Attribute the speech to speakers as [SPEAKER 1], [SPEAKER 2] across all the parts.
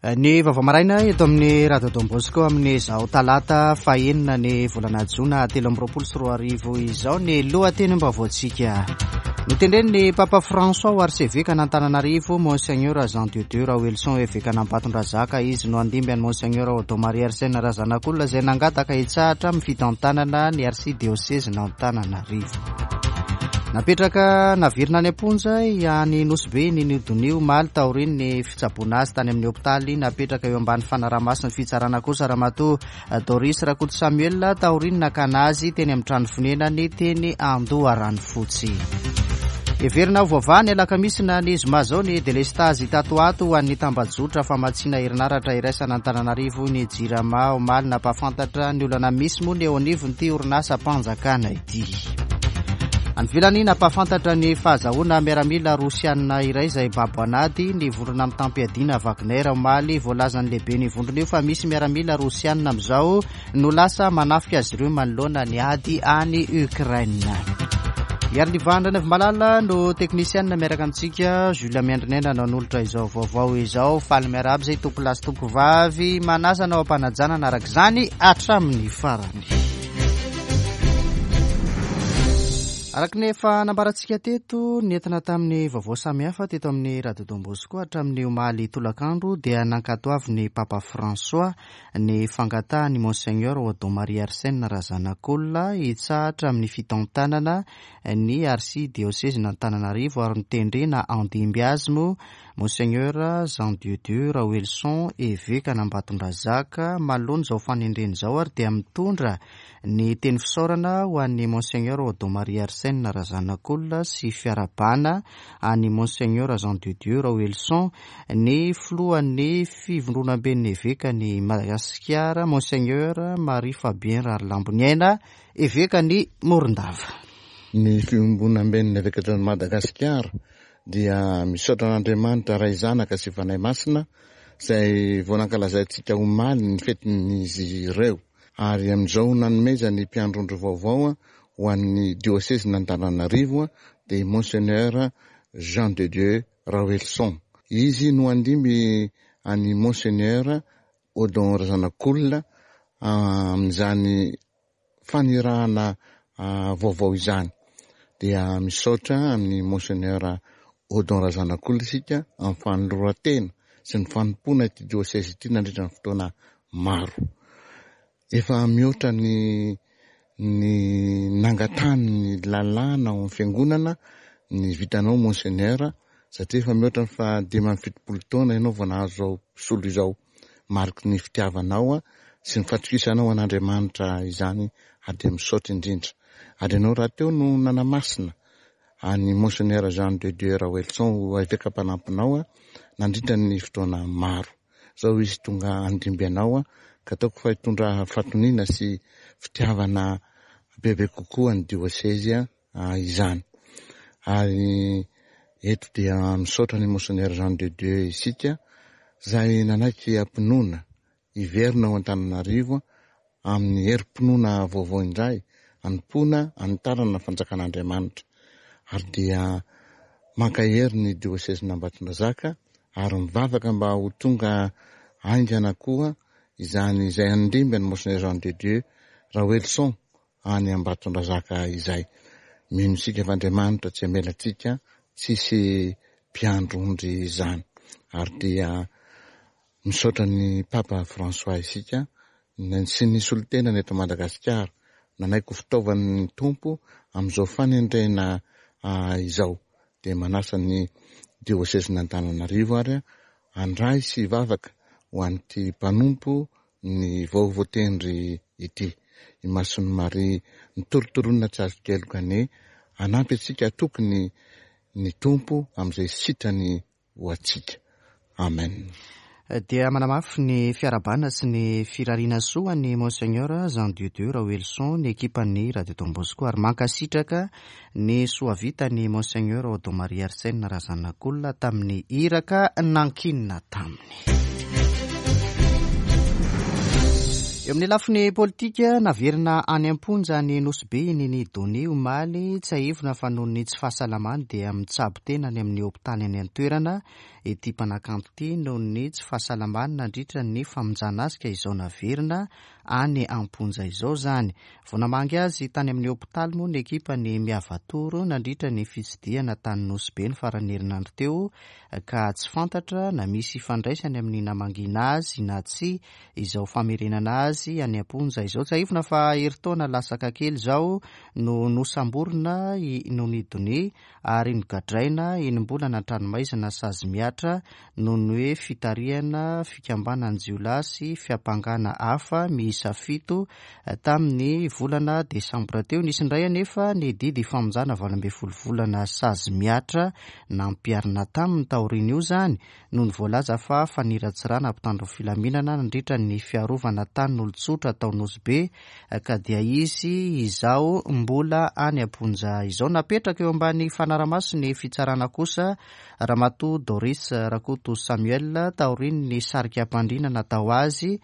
[SPEAKER 1] Ny vaovao maraina eto amin'ny Radio Don Bosco amin'izao talata fahenina ny volana jona 2023 izao ny lohatenim-baovaontsika. Notendren'ny Papa François ho arsevekan'Antananarivo Monseigneur Jean de Dieu Raoelison evekan'Ambatondrazaka. Izy no handimby an'i Monseigneur Odon Marie Arsène Razanakolona izay nangataka hitsahatra amin'ny fitantanana ny arsidiosezin'Antananarivo. Napetraka naverina any am-ponja any Nosy Be ny Donia omaly taorian'ny fitsaboana azy tany amin'ny hopitaly. Napetraka eo ambany fanaraha-mason'ny fitsarana kosa Ramatoa Doris Rakoto Samuel taorian'ny nakana azy teny amin'ny trano fonenany teny Andoharanofotsy. Heverina ho voavaha ny alakamisy na ny zoma izao ny delestazy tato ho ato ho an'ny tambajotra famatsiana herinaratra iraisana Antananarivo ny Jirama. Omaly nampahafantatra ny olana misy moa ny eo anivon'ity orinasam-panjakana ity. Any ivelany, nampahafantatra ny fahazahoana miaramila rosianina iray izay babo an'ady ny vondrona mitam-piadiana Wagner omaly. Voalazan'ny lehiben'io vondrona io fa misy miaramila rosianina amin'izao no lasa manafika azy ireo manoloana ny ady any Ukraine. Iarinivan Ranavimalala no teknisianina miaraka amintsika. Jules Miandrinena no nanolotra izao vaovao izao. Faly miarahaba izay tompolahy sy tompovavy. Manasa anao am-panajana araka izany hatramin'ny farany. Araka ny efa nambarantsika teto, nentina tamin'ny vaovao samihafa teto amin'ny Radio Don Bosco hatramin'ny omaly tolakandro dia nankatoavin'ny Papa François ny fangatahan'i Monseigneur Odon Marie Arsène Razanakolona hitsahatra amin'ny fitantanana ny Arsidiosezin'Antananarivo ary notendrena handimby azy moa Monseigneur Jean de Dieu Raoelison, Evekan'Ambatondrazaka. Manoloana izao fanendrena izao ary dia mitondra ny teny fisaorana ho an'i Monseigneur Odon Marie Arsène Razanakolona sy fiarahabana an'i Monseigneur Jean de Dieu Raoelison ny filohan'ny Fivondronamben'ny Evekan'i Madagasikara, Monseigneur Marie Fabien Rahalamboniaina, Evekan'i Morondava.
[SPEAKER 2] Ny Fiombonamben'ny Evekan'i Madagasikara dia misaotra an'Andriamanitra Ray Zanaka sy Fanahy Masina izay vao nankalazaintsika omaly ny fetin'izy ireo ary amin'izao nanomezany mpiandrondro vaovao ho an'ny diosezin'Antananarivo dia i Monseigneur Jean de Dieu Raoelison. Izy no handimby an'i Monseigneur Odon Razanakolona amin'izany fanirahana vaovao izany. Dia misaotra an'i Monseigneur Odon Razanakolona isika amin'ny fanoloran-tena sy ny fanompoana ity diocèse ity nandritra ny fotoana maro. Efa mihoatra ny ny nangatahany ny lalàna ao amin'ny fiangonana ny vitanao Monseigneur satria efa mihoatra ny faha 75 taona ianao vao nahazo izao solo izao. Mariky ny fitiavanao sy ny fatokisanao an'Andriamanitra izany ary dia misaotra indrindra. Ary ianao rahateo no nanamasina an'i Monseigneur Jean de Dieu Raoelison ho eveka mpanampinao nandritra ny fotoana maro. Izao izy tonga handimby anao ka ataoko fa hitondra fahatoniana sy fitiavana bebe kokoa ny diosezy izany. Ary eto dia misaotra an'i Monseigneur Jean de Dieu isika izay nanaiky am-pinoana hiverina ao Antananarivo amin'ny herim-pinoana vaovao indray hanompoana hanitarana ny fanjakan'Andriamanitra. Ary dia mankahery ny diosezin'Ambatondrazaka ary mivavaka mba ho tonga haingana koa izany izay handimby an'i Monseigneur Jean de Dieu Raoelison any Ambatondrazaka izay. Mino isika fa Andriamanitra tsy hamela antsika tsisy mpiandry ondry izany. Ary dia misaotra ny Papa François isika sy ny solontenany eto Madagasikara nanaiky ho fitaovan'ny Tompo amin'izao fanendrena izao. Dia manasa ny Diosezin'Antananarivo ary handray sy hivavaka ho an'ity mpanompo ny vao voatendry ity. I Masin'i Maria nitorotoronina tsy azon-keloka anie hanampy antsika hatoky ny ny Tompo amin'izay sitrany ho antsika. Amen.
[SPEAKER 1] Dia manamafy ny fiarahabana sy ny firariana soa an'i Monseigneur Jean Dieu Dieu Raoelison ny ekipan'ny Radio Don Bosco ary mankasitraka ny soa vitan'i Monseigneur Odon Marie Arsène Razanakolona tamin'ny iraka nankinina taminy. Eo amin'ny lafiny politika, naverina any am-ponja any Nosy Be i Nini Donia omaly. Tsiahivina fa noho ny tsy fahasalamany dia mitsabo tena any amin'ny hopitaly any an-toerana. ity mpanakanto ity noho ny tsy fahasalamany nandritra ny famonjana azy ka izao naverina any am-ponja izao izany. Vao namangy azy tany amin'ny hopitaly moa ny ekipan'ny Miavatoro nandritra ny fitsidihana tany Nosy Be ny faran'ny herinandro teo ka tsy fantatra na misy ifandraisany amin'ny namangiana azy na tsia izao famerenana azy any am-ponja izao. Tsiahivina fa herintaona lasaka kely izao no nosamborina i Nony Donia ary nogadraina enim-bolana an-tranomaizina sazy mihatra noho ny hoe fitarihana fikambanan-jiolahy sy fiampangana hafa miisa fito tamin'ny volana desambra teo. Nisy indray anefa ny didy famonjana 18 volana sazy mihatra nampiharina taminy taorian'io izany noho ny voalaza fa faniratsirana mpitandro filaminana nandritra ny fiarovana tanin'olon-tsotra tao Nosy Be ka dia izy izao mbola any am-ponja izao. Napetraka eo ambany fanaramaso ny fitsarana kosa Ramatoa Doris Rakoto Samuel taorian'ny sarika am-pandriana natao azy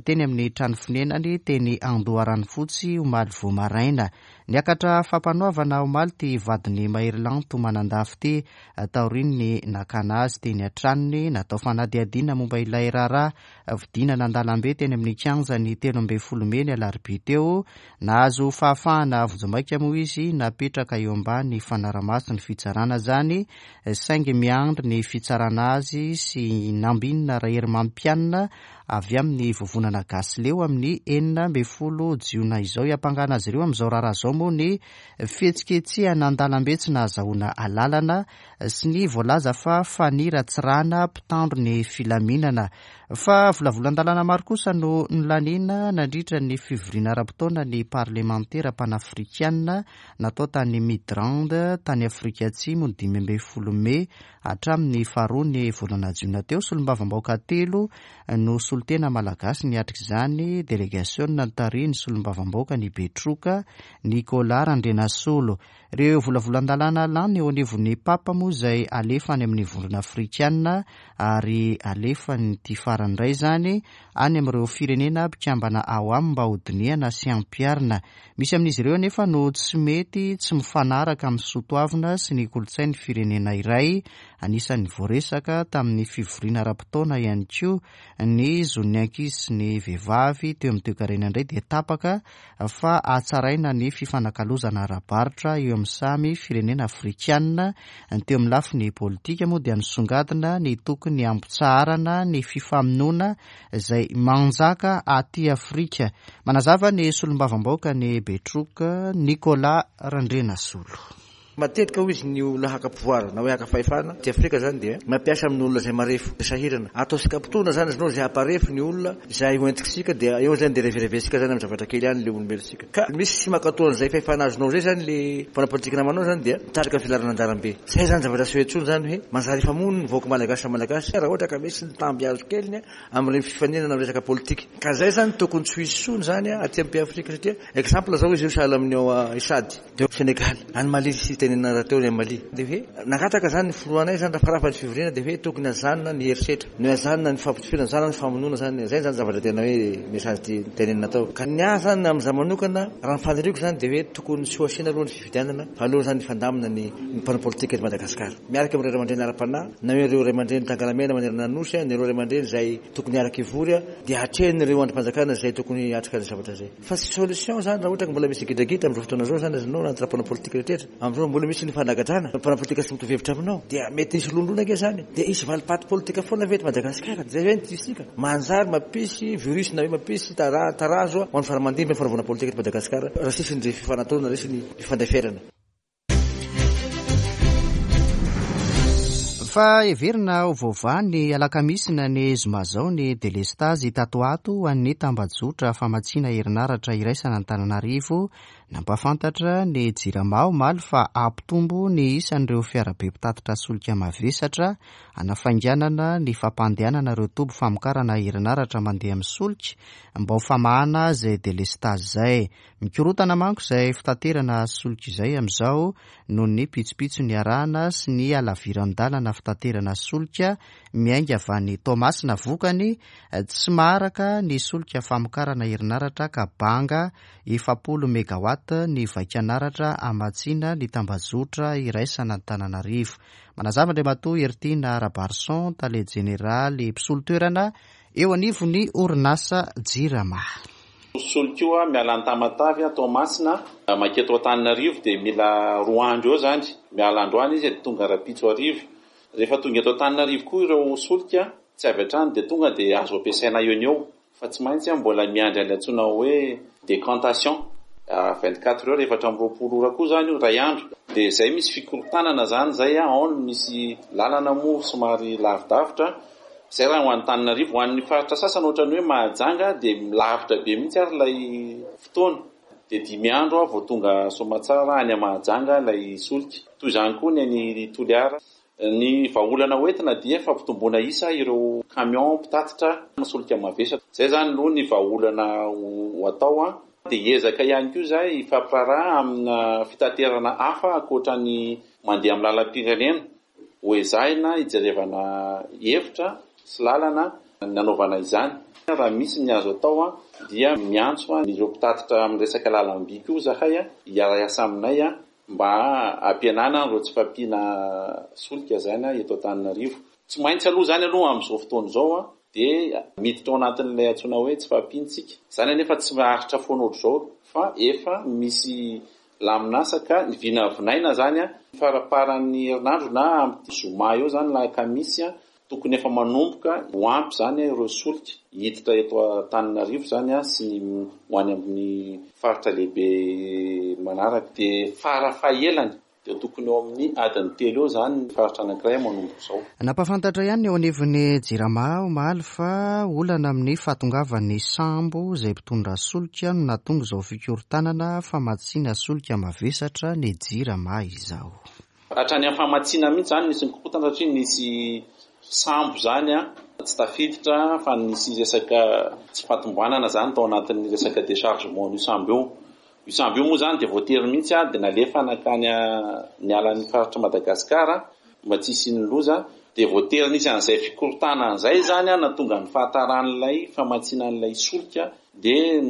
[SPEAKER 1] teny amin'ny trano fonenany teny Andoharanofotsy omaly vao maraina. Niakatra fampanoavana omaly ity vadin'i Maherilanto Manandafy ity taorian'ny nakana azy teny an-tranony. Natao fanadihadiana momba ilay raharaha fidinana an-dalambe teny amin'ny kianjan'ny 13 mey ny alarobia teo. Nahazo fahafahana vonjimaika moa izy napetraka eo ambany fanaramason'ny fitsarana izany, saingy miandry ny fitsarana azy sy Nambinina Raherimampianina avy amin'ny vovonana Gasy Leo amin'ny 16 jiona izao. Hiampangana azy ireo amin'izao raharaha izao moa ny fihetsiketsehana an-dalambe tsy nahazahoana alalana sy ny voalaza fa faniratsirana mpitandro ny filaminana. Fa volavolan-dalàna maro kosa no nolaniana nandritra ny fivoriana ara-potoana ny parlemantera panafrikanina natao tany Midrand tany Afrika Atsimo ny 15 mey hatramin'ny faharoa ny volana jiona teo. Solombavambahoaka telo no solontena malagasy niatrika izany, delegasiona notarihin'ny solombavambahoaka ny Betroka, Nicolas Randrianasolo. Ireo volavolan-dalàna lany eo anivon'ny Papa moa izay alefa any amin'ny Vondrona Afrikana ary alefan'ity farany indray izany any amin'ireo firenena mpikambana ao aminy mba hodinihana sy hampiharina. Misy amin'izy ireo anefa no tsy mety tsy mifanaraka amin'ny soatoavina sy ny kolontsain'ny firenena iray. Anisan'ny voaresaka tamin'ny fivoriana ara-potoana ihany koa ny zon'ny ankizy sy ny vehivavy. Teo amin'ny toekarena indray dia tapaka fa hatsaraina ny fifanakalozana ara-barotra eo amin'ny samy firenena afrikanina. Ny teo amin'ny lafiny politika moa dia nisongadina ny tokony hampitsaharana ny fifamonoana izay manjaka aty Afrika. Manazava ny solombavambahoaka ny Betroka, Nicolas Randrianasolo.
[SPEAKER 3] Matetika hoy izy ny olona haka pouvoir na hoe haka fahefana aty Afrika zany dia mampiasa amin'ny olona izay marefo, sahirana. Ataontsika mpitondra zany izy nao izay hamparefo ny olona izay ho entintsika dia eo zany dia revereventsika zany amin'ny zavatra kely ihany le olombelontsika. Ka misy tsy mankatoa an'izay fahefana azonao izay zany le mpanao politika namanao zany dia mitarika ny filaharana an-dalambe. Zay zany zavatra tsy hoe intsony zany hoe manjary hifamono ny vahoaka malagasy samy malagasy raha ohatra ka misy ny tamby azo keliny amin'ireny fifaninana amin'ny resaka politika. Ka zay zany tokony tsy ho hisy intsony zany aty amin'ny pays Afrika satria exemple zao izy io sahala amin'ny ao Sady. Dia Senegal, any Mali sy tenenina rahateo ny any Mali. Dia hoe nangataka izany ny filohanay izany raha farafa ny fivoriana dia hoe tokony hajanona ny herisetra, ny hajanona ny fampitifirana, hajanona ny famonoana izany. Izay izany zavatra tena hoe message tenenina tao. Ka ny ahy izany amin'izaho manokana, raha ny faniriako izany dia hoe tokony tsy ho asiana aloha ny fifidianana fa aleo izany hifandamina ny mpanao politika eto Madagasikara. Miaraka amin'ireo ray aman-dreny ara-panahy na hoe ireo ray aman-dreny tangalamena manerana ny Nosy, na ireo ray aman-dreny izay tokony hiaraka hivory dia hatrehin'ireo andrim-panjakana izay tokony hiatrika ny zavatra izay. Fa tsy solution zany raha ohatra ka mbola misy gidragidra amin'izao fotoana izao zany azonao anaty mpanao politika rehetra amin'izao mbola misy ny fanagadrana mpanao politika tsy mitovy hevitra aminao dia mety hisy lonilony ange zany dia hisy valipaty politika foana ve eto Madagasikara zay ve ny tiantsika manjary mampisy virus na hoe mampisy tarazo ho an'ny faramandimby ny fanaovana politika eto Madagasikara raha tsisy ny fifanatronana raha tsisy ny fifandeferana.
[SPEAKER 1] Fa heverina ho voavaha ny alakamisy na ny zoma izao ny delestazy tato ato ho an'ny tambajotra famatsiana herinaratra iraisana Antananarivo. Nampahafantatra ny Jirama omaly fa hampitombo ny isan'ireo fiarabe mpitatitra solika mavesatra hanafainganana ny fampandehanana ireo toby famokarana herinaratra mandeha amin'ny solika mba ho famahana izay delestazy izay. Mikorontana manko izay fitaterana solika izay amin'izao noho ny pitsopitso niarahana sy ny halaviran-dalana. fitaterana solika miainga avy any Toamasina. Vokany, tsy maharaka ny solika famokarana herinaratra ka banga 40 megawatt ny vaikanaratra hamatsiana ny tambajotra iraisan'Antananarivo. Manazava Andriamatoa Heritiana Rabarison, tale jeneraly mpisolo toerana eo anivon'ny orinasa Jirama.
[SPEAKER 4] Solika io miala any Tamatave, Toamasina, manketo Antananarivo dia mila 2 andro eo izany. Miala androany izy dia tonga rahampitso hariva. Rehefa tonga eto Antananarivo koa ireo solika, tsy avy hatrany dia tonga dia azo ampiasaina eo no eo. Fa tsy maintsy mbola miandry an'ilay antsoina hoe décantation, 24 heures, 24 ora koa izany io, iray andro. Dia izay misy fikorontanana izany izay, ao no misy lalana moa somary lavidavitra. Izay raha ho an'i Antananarivo. Ho an'ny faritra sasany ohatran'ny hoe Mahajanga dia lavitra be mihitsy ary ilay fotoana. Dia 5 andro vao tonga soamatsara any Mahajanga ilay solika. Toy izany koa ny any Toliara. Ny vahaolana hoentina dia fampitomboana isa ireo camion mpitatitra solika mavesatra. Izay izany aloha ny vahaolana ho atao. Dia hiezaka ihany koa izahay hifampiraharaha amina fitaterana hafa ankoatra ny mandeha amin'ny lalam-pirenena. Ho ezahina hijerevana hevitra sy lalana ny hanaovana izany. Raha misy ny azo atao dia miantso an'ireo mpitatitra amin'ny resaka lalam-by koa izahay hiara-hiasa aminay mba hampihenana ireo tsy fahampiana solika izany eto Antananarivo. Tsy maintsy aloha izany aloha amin'izao fotoana izao dia miditra ao anatin'ilay antsoina hoe tsy fahampiana isika. Izany anefa tsy maharitra foana ohatr'izao fa efa misy lamin'asa ka ny vinavinaina izany faramparan'ny herinandro na amin'ny zoma eo izany alakamisy tokony efa manomboka ho ampy izany ireo solika hiditra eto Antananarivo izany sy ny ho any amin'ny faritra lehibe manaraka. Dia farafahelany dia tokony eo amin'ny adiny 3 eo izany ny faritra anankiray manomboka izao.
[SPEAKER 1] Nampahafantatra ihany ny eo anivon'ny Jirama omaly fa olana amin'ny fahatongavan'ny sambo izay mpitondra solika no nahatonga izao fikorontanana famatsiana solika mavesatra ny Jirama izao.
[SPEAKER 4] Hatrany amin'ny famatsiana mihitsy izany nisy nikorontana satria nisy sambo izany tsy tafiditra fa nisy resaka tsy fahatombanana izany tao anatin'ny resaka déchargement an'io sambo io. Io sambo io moa izany dia voatery mihitsy dia nalefa nankany niala ny faritr'i Madagasikara mba tsy hisian'ny loza. Dia voatery nisy an'izay fikorontanana izay izany nahatonga ny fahataran'ilay famatsiana an'ilay solika dia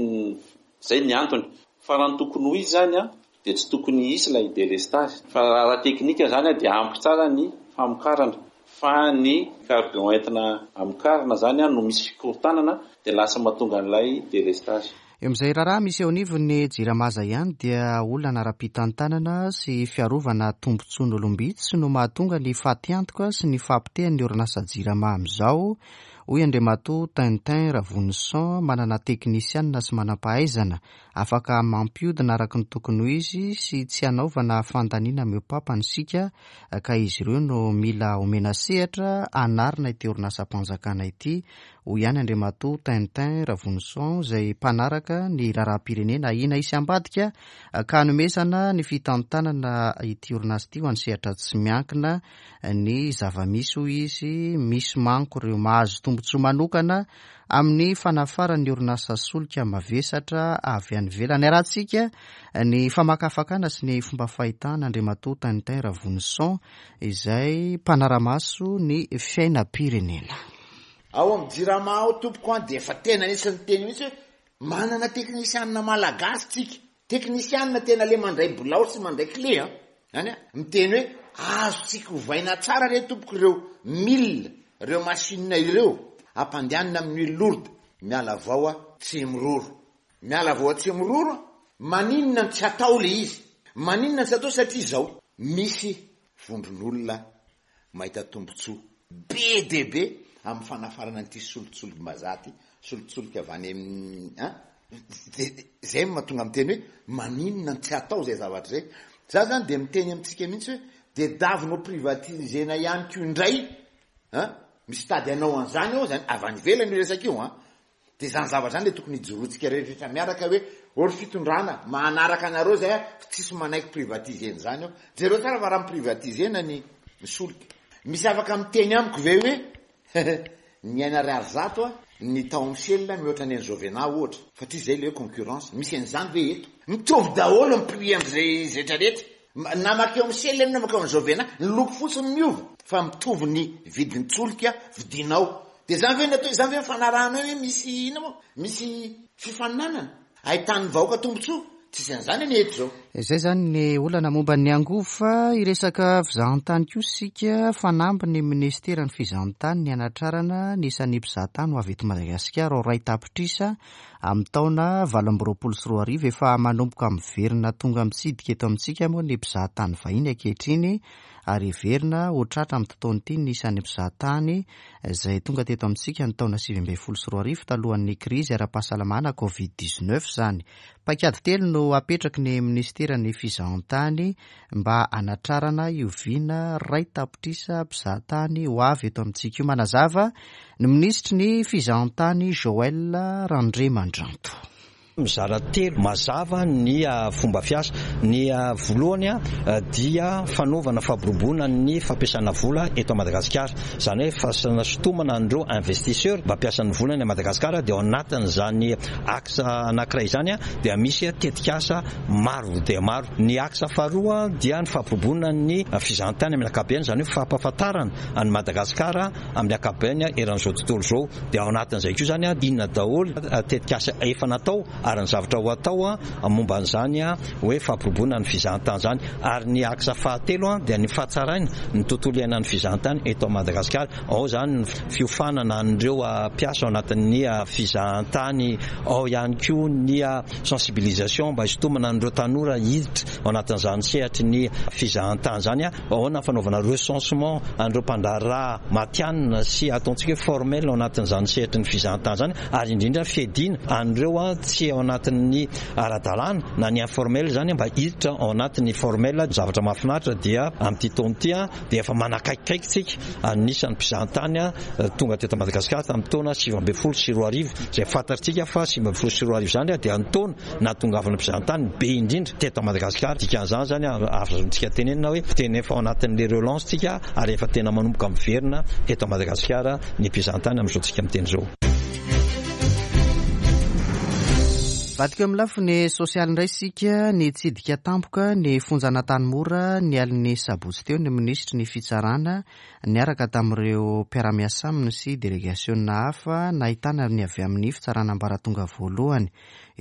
[SPEAKER 4] izay ny antony. Fa raha ny tokony ho izy izany dia tsy tokony hisy ilay délestage. Fa raha ara-teknika izany dia ampy tsara ny famokarana. Fa ny carburant entina hamokarana izany no misy fikorontanana dia lasa mahatonga an'ilay délestage.
[SPEAKER 1] Eo amin'izay raharaha misy eo anivon'ny Jirama izay ihany dia olana ara-pitantanana sy fiarovana tombontsoan'olom-bitsy no mahatonga ny fatiantoka sy ny fahapotehan'ny orinasa Jirama amin'izao, hoy Andriamatoa Tintin Ravonison, manana teknisianina sy manam-pahaizana afaka mampiodina araka ny tokony ho izy sy tsy hanaovana fandaniana mihoa-papana isika ka izy ireo no mila omena sehatra hanarina ity orinasam-panjakana ity, hoy ihany Andriamatoa Tintin Ravonison izay mpanaraka ny raharaham-pirenena ahiana hisy ambadika ka hanomezana ny fitantanana ity orinasa ity ho an'ny sehatra tsy miankina ny zava-misy hoy izy. Misy manko ireo mahazo tombontsoa manokana amin'ny fanafaran'ny orinasa solika mavesatra avy any ivelany. Arahantsika ny famakafakana sy ny fomba fahitana Andriamatoa Tintin Ravonison izay mpanara-maso ny fiainam-pirenena.
[SPEAKER 2] Ao amin'ny Jirama ao tompoko an dia efa tena nisy niteny mihitsy hoe manana teknisianina malagasy tsika, teknisianina tena le mandray bilao sy mandray clé an, zany an, miteny hoe azontsika ovaina tsara re tompoko ireo mille, ireo machine ireo, ampandehanina amin'ny huile lourde, miala vao a Tsimiroro, miala vao a Tsimiroro an, maninona no tsy atao le izy, maninona no tsy atao satria izao, misy vondron'olona mahita tombontsoa be dia be amin'ny fanafarana an'ity solitsolim-bazaha ity, solitsolika avy any amin'ny an, izay no mahatonga miteny hoe maninona no tsy atao izay zavatra izay. Za zany dia miteny amintsika mihitsy hoe tedavina ho privatiser-na ihany koa indray an, misy tady hanao an'izany ao zany, avy any ivelany io resaka io an, Dia izany zavatra izany ilay tokony hijoroantsika rehetra miaraka hoe ô ry fitondrana, manaraka anareo izay aho fa tsisy manaiky privatiser-na izany eo. Jereo tsara fa raha mi-privatiser-na ny solika. Misy afaka miteny amiko ve hoe ny aina ariary 100 ny tao amin'ny Shell mihoatra ny an'i Jovena ohatra, satria izay ilay hoe concurrence. Misy an'izany ve eto? Mitovy daholo ny prix amin'izay rehetra rehetra.
[SPEAKER 5] Na makeo amin'ny Shell ianao na makeo amin'ny Jovena, ny loko fotsiny miova fa mitovy ny vidin-tsolika vidinao. Dia izany ve ny atao, izany ve ny fanarahana hoe misy inona moa? Misy fifaninanana ahitan'ny vahoaka tombontsoa? Tsisy an'izany anie eto izao.
[SPEAKER 1] Izay izany ny olana momba ny angovo fa hiresaka fizahantany kosa isika, fanamby ny minisiteran'ny fizahantany ny hanatrarana ny isan'ny mpizahatany ho avy eto Madagasikara ho iray tapitrisa Amin'ny taona 2028, efa manomboka miverina tonga mitsidika eto amintsika moa ny mpizahatany vahiny ankehitriny ary heverina ho tratra amin'ity taona ity ny isan'ny mpizahatany izay tonga teto amintsika ny taona 2019 talohan'ny krizy ara-pahasalamana Covid 19 izany. Paikady telo no apetraky ny minisiteran'ny fizahantany mba hanatrarana io vina 1 tapitrisa mpizahatany ho avy eto amintsika io. Manazava ny minisitry ny fizahantany Joël Randriamandranto.
[SPEAKER 6] Mizara telo mazava ny fomba fiasa. Ny voalohany dia fanaovana fampiroboroana ny fampiasana vola eto Madagasikara. Izany hoe fahasintomana an'ireo investisseurs mba hampiasa ny volany à Madagasikara dia ao anatin'izany axe anankiray izany dia misy tetikasa maro dia maro. Ny axe faharoa dia ny fampiroboroana ny fizahantany amin'ny ankapobeny, izany hoe fampahafantarana an'i Madagasikara amin'ny ankapobeny eran'izao tontolo izao. Dia ao anatin'izay koa izany inona daholo tetikasa efa natao ary ny zavatra ho atao momba an'izany hoe fampiroboroana ny fizahantany izany. Ary ny axe fahatelo dia ny fahatsaraina ny tontolo iainan'ny fizahantany eto Madagasikara. Ao izany ny fiofanana an'ireo mpiasa ao anatin'ny fizahantany, ao ihany koa ny sensibilisation mba hisintomana an'ireo tanora hiditra ao anatin'izany sehatry ny fizahantany izany. Ahoana ny fanaovana recensement an'ireo mpandraharaha matihanina sy ataontsika hoe formel ao anatin'izany sehatry ny fizahantany izany ary indrindra fiadiana an'ireo tsy ao anatin'ny ara-dalàna na ny informel izany mba hiditra ao anatin'ny formel. Zavatra mahafinaritra dia amin'ity taona ity dia efa manakaikikaiky tsika anisan'ny mpizahantany tonga teto Madagasikara tamin'ny taona 2019 izay fantatritsika fa 2019 izany dia ny taona nahatongavana mpizahantany be indrindra teto Madagasikara. Dikan'izany izany azontsika tenenina hoe tena efa ao anatin'ilay relance tsika ary efa tena manomboka miverina eto Madagasikara ny mpizahantany amin'izao tsika miteny izao.
[SPEAKER 1] Vadiko amin'ny lafiny sosialy indray isika, nitsidika tampoka ny fonjan'Antanimora ny alin'ny sabotsy teo ny minisitry ny fitsarana niaraka tamin'ireo mpiara-miasa aminy sy delegasiona hafa nahitana ny avy amin'ny fitsarana ambaratonga voalohany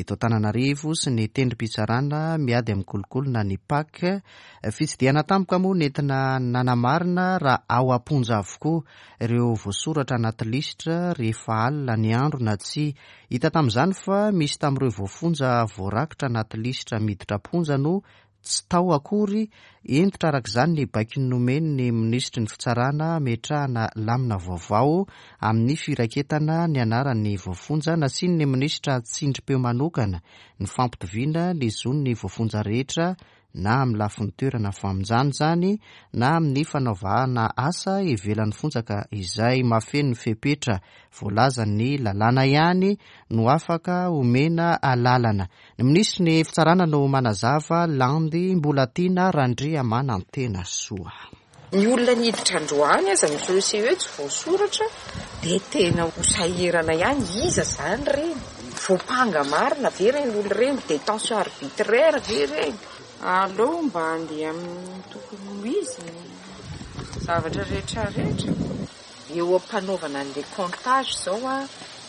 [SPEAKER 1] eto Antananarivo sy ny tendrom-pitsarana miady amin'ny kolikoly na ny PAC. Fitsidihana tampoka moa nentina nanamarina raha ao am-ponja avokoa ireo voasoratra anaty lisitra rehefa alina ny andro na tsia. Hita tamin'izany fa misy tamin'ireo voafonja voarakitra anaty lisitra miditra am-ponja no tsy tao akory. Hentitra araka izany ny baiko nomen'ny minisitry ny fitsarana hametrahana lamina vaovao amin'ny firaketana ny anaran'ny voafonja. Nasian'ny minisitra tsindrim-peo manokana ny fampitoviana ny zon'ny voafonja rehetra na amin'ny lafiny toerana famonjana izany na amin'ny fanaovana asa ivelan'ny fonja ka izay mahafeno ny fepetra voalazan'ny lalàna ihany no afaka omena alalana. Ny minisitry ny fitsarana no manazava, Landy Mbolatiana Randriamanantenasoa.
[SPEAKER 7] Ny olona niditra androany aza ny CECE tsy voasoratra dia tena ho sahirana ihany, iza izany ireny? Voampanga marina ve ireny olona ireny? Détention arbitraire ve ireny? Aleo mba handeha amin'ny tokony ho izy ny zavatra rehetra rehetra. Eo am-panaovana an'ilay comptage izao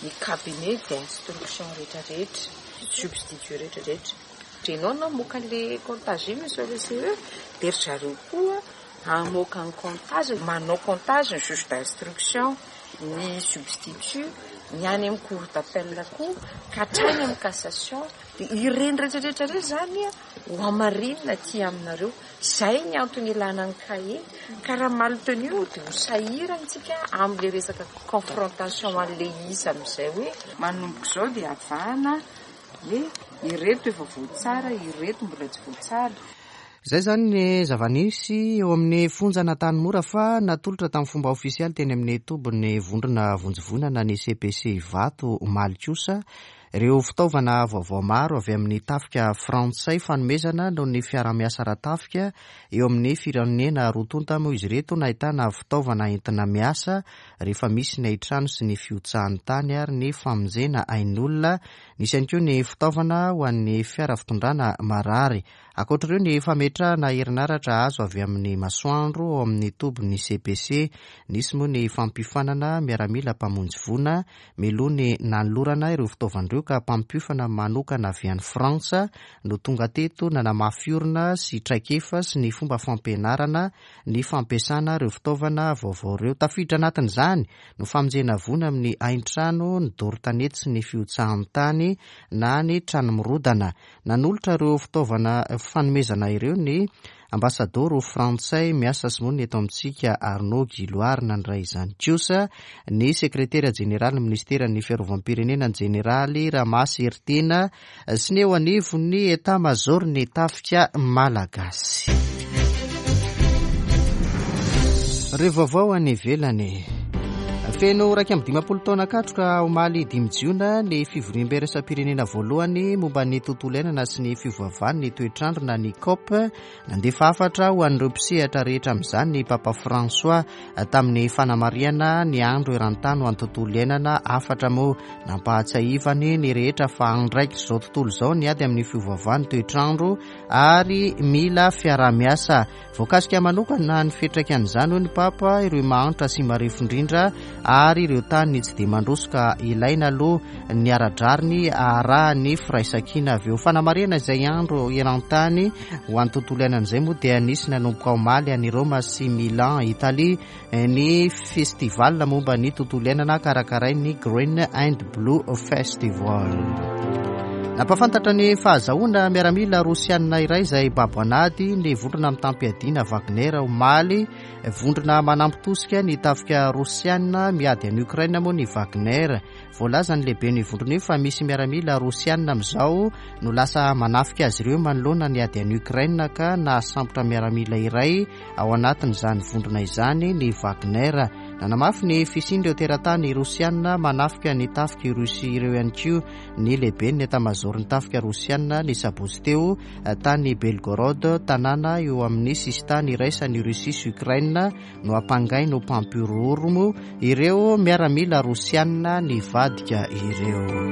[SPEAKER 7] ny cabinet d'instruction rehetra rehetra, substitut rehetra rehetra. Ianao namoaka an'ilay comptage iny monsieur le CE dia ry zareo koa hamoaka ny comptage, manao comptage ny juge d'instruction, ny substitut, ny any amin'ny cour d'appel koa ka hatrany amin'ny cassation. Dia ireny rehetra rehetra ireny izany ho hamarinina aty aminareo. Izay ny antony ilana ny cahier. Ka raha mal tenu dia ho sahirana isika amin'ilay resaka confrontation an'ilay isa amin'izay hoe manomboka izao dia avahana Hoe ireto efa voatsara, ireto mbola tsy voatsara.
[SPEAKER 1] Izay izany ny zava-nisy eo amin'ny fonjan'Antanimora fa natolotra tamin'ny fomba ofisialy teny amin'ny tobin'ny vondrona vonjy voina na ny CPC Ivato omaly kosa ireo fitaovana vaovao maro avy amin'ny tafika frantsay fanomezana noho ny fiaraha-miasa ara-tafika eo amin'ny firenena roa tonta moa izy ireto nahitana fitaovana entina miasa rehefa misy ny haintrano sy ny fihotsahan'ny tany ary ny famonjena ain'olona. Nisy ihany koa ny fitaovana ho an'ny fiara fitondrana marary. Ankoatra ireo ny fametrahana herinaratra azo avy amin'ny masoandro ao amin'ny tobin'ny CPC. Nisy moa ny fampiofanana miaramila mpamonjy voina mialoha ny nanolorana ireo fitaovana ireo ka mpampiofana manokana avy any Frantsa no tonga teto nanamafy orina sy traikefa sy ny fomba fampianarana ny fampiasana ireo fitaovana vaovao ireo. Tafiditra anatin'izany ny famonjena voina amin'ny haintrano, ny doro tanety sy ny fihotsahan'ny tany na ny trano mirodana. Nanolotra ireo fitaovana fanomezana ireo ny ambasadaoro frantsay miasa sy monina eto amintsika Arnaud Guilloire. Nandray izany kosa ny sekretera jeneralin'ny minisiteran'ny fiarovam-pirenena ny jeneraly Ramasy Heritiana sy ny eo anivon'ny Etat Major ny tafika malagasy. Ireo vaovao any ivelany. Feno 51 taona katroka omaly 5 jiona ny fivoriambe iraisam-pirenena voalohany momba ny tontolo iainana sy ny fiovaovan'ny toetr'andro na ny COP. Nandefa hafatra ho an'ireo mpisehatra rehetra amin'izany ny Papa François tamin'ny fanamarihana ny andro eran-tany ho an'ny tontolo iainana. Hafatra moa nampahatsiahivany ny rehetra fa andraikitr'izao tontolo izao ny ady amin'ny fiovaovan'ny toetr'andro ary mila fiaraha-miasa. Voakasika manokana ny fiantraikan'izany, hoy ny Papa, ireo mahantra sy marefo indrindra ary ireo tany tsy dia mandroso ka ilaina aloha ny ara-drariny aharahan'ny firaisankina avy eo. Fanamarihana izay andro eran-tany ho an'ny tontolo iainana izay moa dia nisy nanomboka omaly any Roma sy Milan, Italie, ny festival momba ny tontolo iainana karakarain'ny Green and Blue Festival. Nampahafantatra ny fahazahoana miaramila rosianina iray izay babo an'ady ny vondrona mitam-piadiana Wagner omaly. Vondrona manampy tosika ny tafika rosianina miady any Ukraine moa ny Wagner. Voalazan'ny lehiben'ny vondrona io fa misy miaramila rosianina amin'izao no lasa manafika azy ireo manoloana ny ady any Ukraine ka nahasambotra miaramila iray Ao anatin'izany vondrona izany ny Wagner. Nanamafy ny fisian'ireo teratany rosiana manafika ny tafik'i Russie ireo ihany koa ny lehiben'ny etamazaoron'ny tafika rosiana ny sabotsy teo tany Belgorod, tanàna eo amin'ny sisintany iraisan'i Russie sy Ukraine no ampangainy ho mpampihorohoro ireo miaramila rosiana nivadika ireo.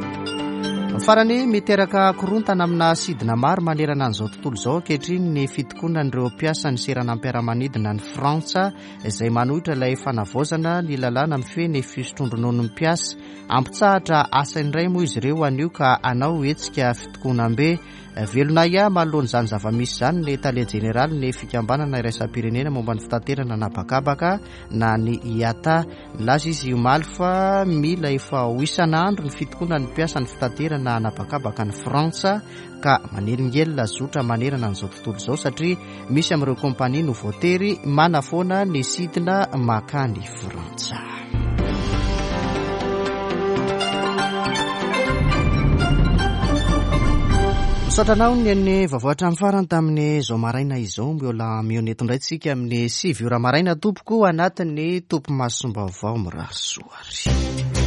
[SPEAKER 1] Farany, miteraka korontana amina sidina maro manerana an'izao tontolo izao ankehitriny ny fitokonan'ireo mpiasan'ny seranam-piaramanidina any Frantsa izay manohitra ilay fanavaozana ny lalàna mifehy ny fisotroan-drononon'ny mpiasa. Hampitsahatra asa indray moa izy ireo anio ka hanao hetsika fitokonam-be. Velona ahiahy manoloana izany zava-misy izany ny tale jeneralin'ny fikambanana iraisam-pirenena momba ny fitaterana an'habakabaka na ny IATA. Nilaza izy omaly fa mila efa ho isan'andro ny fitokonan'ny mpiasan'ny fitaterana an'habakabaka any Frantsa ka manelingelina zotra manerana an'izao tontolo izao satria misy amin'ireo kompania no voatery manafoana ny sidina makany Frantsa. Misaotra anao ny an'ny vaovao hatramin'ny farany tamin'izao maraina izao. Mbola mihaona eto indray tsika amin'ny 9 ora maraina tompoko anatin'ny topimasom-baovao mirary soa ary.